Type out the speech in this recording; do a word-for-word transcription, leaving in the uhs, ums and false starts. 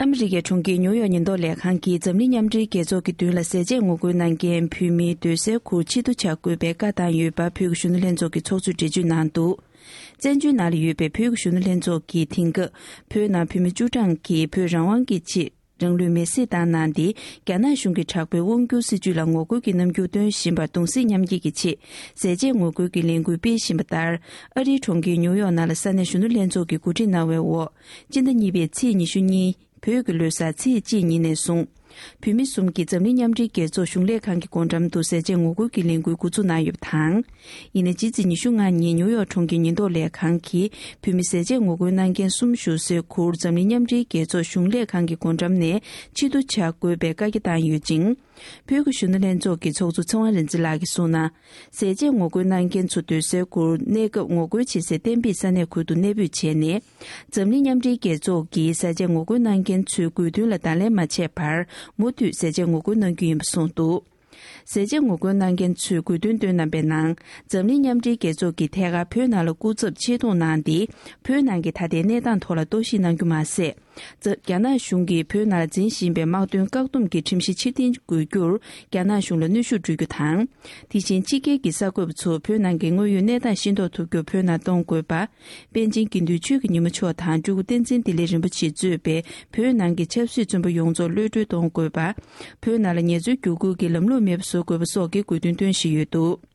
ཨ་མི་རི་ཀའི་གྲོང་ཁྱེར་ཉིའུ་ཡོག་ཉེན་རྟོག་ལས་ཁང་གིས་འཛམ་གླིང་མཉམ་འབྲེལ་རྒྱལ་ཚོགས་ཀྱི་མདུན་ལ་ཟས་བཅད་ངོ་རྒོལ་གནང་མཁན་བོད་མིའི་སྡོད་སའི་ཁུལ་ཕྱིར་བསྡུ་བྱ་དགོས་པའི་བཀའ་བཏང་ཡོད་པ་བོད་ཀྱི་གཞོན་ནུ་ལྷན་ཚོགས་ཀྱི་ཚོགས་གཙོས་འགྲེལ་བརྗོད་གནང་འདུག་བཙན་བྱོལ་ནང་ལ་ཡོད་པའི་བོད་ཀྱི་གཞོན་ནུ་ལྷན་ཚོགས་ཀྱིས་དེང་སྐབས་བོད་ནང་བོད་མི་བཅུ་གྲངས་ཀྱིས་བོད་རང་དབང་གི་ཆེད་རང་ལུས་མེར་སྲེག་བཏང་གནང་སྟེ། རྒྱ་ནག་གཞུང་གི་དྲག་པོའི་དབང་སྒྱུར་སྲིད་བྱུས་ལ་ངོ་རྒོལ་གྱི་རྣམ་འགྱུར་སྟོན་བཞིན་པར་གདུང་སེམས་མཉམ་སྐྱེད་ཀྱི་ཆེད་ཟས་བཅད་ངོ་རྒོལ་གྱི་ལས་འགུལ་སྤེལ་བཞིན་པ་ལྟར། ཨ་རིའི་གྲོང་ཁྱེར་ཉིའུ་ཡོག་ནང་ལ་ས་གནས་གཞོན་ནུ་ལྷན་ཚོགས་ཀྱིས་གོ་སྒྲིག་གནང་བའི་འོག་སྤྱི་ཟླ་གཉིས་པའི་ཚེས་ཉི་ཤུ་གཉིས་བོད་ཀྱི་ལོ་གསར་ཚེས་གཅིག་ཉིན་ནས་བཟུང་། བོད་མི་གསུམ་གྱིས་འཛམ་གླིང་མཉམ་འབྲེལ་རྒྱལ་ཚོགས་གཞུང་ལས་ཁང་གི་སྒོ་འགྲམ་དུ་ཟས་བཅད་ངོ་རྒོལ་གྱི་ལས་འགུལ་འགོ་འཛུགས་གནང་ཡོད་པ་དང་། ཡིན་ནའི་ཕྱི་ཚེས་ཉི་ཤུ་ལྔ་ཉིན་ཉིའུ་ཡོག་གྲོང་ཁྱེར་ཉེན་རྟོག་ལས་ཁང་གིས་བོད་མི་ཟས་བཅད་ངོ་རྒོལ་གནང་མཁན་གསུམ་བཞུགས་སའི་ཁུལ་འཛམ་གླིང་མཉམ་འབྲེལ་རྒྱལ་ཚོགས་གཞུང་ལས་ཁང་གི་སྒོ་འགྲམ་ནས་ཕྱིར་བསྡུ་བྱ་དགོས་པའི་བཀའ་རྒྱ་བཏང་ཡོད་ཅིང་། བོད་ཀྱི་གཞོན་ནུ་ལྷན་ཚོགས་ཀྱི་ཚོགས་གཙོ་ཚེ་དབང་རིག་འཛིན་ལགས་ཀྱིས་གསུངས་ན། ཟས་བཅད་ངོ་རྒོལ་གནང་མཁན་ཚོ་སྡོད་སའི་ཁུལ་གནས་སྐབས་ངོ་རྒོལ་བྱེད་སའི་གཏན་འབེབས་ས་གནས་ཁུལ་དུ་གནས་སྤོས་བྱས་ནས། འཛམ་གླིང་མཉམ་འབྲེལ་རྒྱལ་ཚོགས་ཀྱིས་ཟས་བཅད་ངོ་རྒོལ་གནང་མཁན་ཚོའི་དགོས་འདུན་ལ་བརྡ་ལན་མ་བྱས་བར་མུ་མཐུད་ཟས་བཅད་ངོ་རྒོལ་གནང་རྒྱུ་ཡིན་པ་གསུངས་འདུག་ཟས་བཅད་ངོ་རྒོལ་གནང་མཁན་ཚོས་དགོས་འདུན་བཏོན་གནང་པའི་ནང་། འཛམ་གླིང་མཉམ་འབྲེལ་རྒྱལ་ཚོགས་ཀྱིས་ཐད་ཀར་བོད་ནང་ལ་སྐུ་ཚབ་ཆེད་གཏོང་གནང་སྟེ། བོད་ནང་གི་ད་ལྟའི་གནས་སྟངས་ཐོག་ལ་རྟོག་ཞིབ་གནང་རྒྱུ་མ་ཟད། རྒྱ་ནག་གཞུང་གིས་བོད་ནང་ལ་འཛིན་བཞིན་པའི་དམག་དོན་བཀག་སྡོམ་གྱི་ཁྲིམས་གཞི་ཕྱིར་འཐེན་དགོས་རྒྱུར་རྒྱ་ནག་གཞུང་ལ་གནོན་ཤུགས་སྤྲོད་རྒྱུ་དང་། དེ་བཞིན་ཕྱི་རྒྱལ་གྱི་གསར་འགོད་པ་ཚོ་བོད་ནང་གི་དངོས་ཡོད་གནས་སྟངས་ཤེས་རྟོགས་ཐུབ་རྒྱུར་བོད་ནང་གཏོང་དགོས་པ། པཎ་ཆེན་དགེ་འདུན་ཆོས་ཀྱི་ཉི་མ་མཆོག་དང་སྤྲུལ་སྐུ་བསྟན་འཛིན་བདེ་ལེགས་རིན་པོ་ཆེས་གཙོས་པའི་བོད་ནང་གི་ཆབ་སྲིད་བཙོན་པ་ཡོངས་རྫོགས་གློད་གྲོལ་གཏོང་དགོས་པ། བོད་ནང་ལ་ངལ་རྩོལ་བསྒྱུར་བཀོད་ཀྱི་ལམ་ལུགས་མེད་པ་བཟོ་དགོས་པ་སོགས་ཀྱི་དགོས་འདུན་བཏོན་བཞིན་ཡོད་འདུག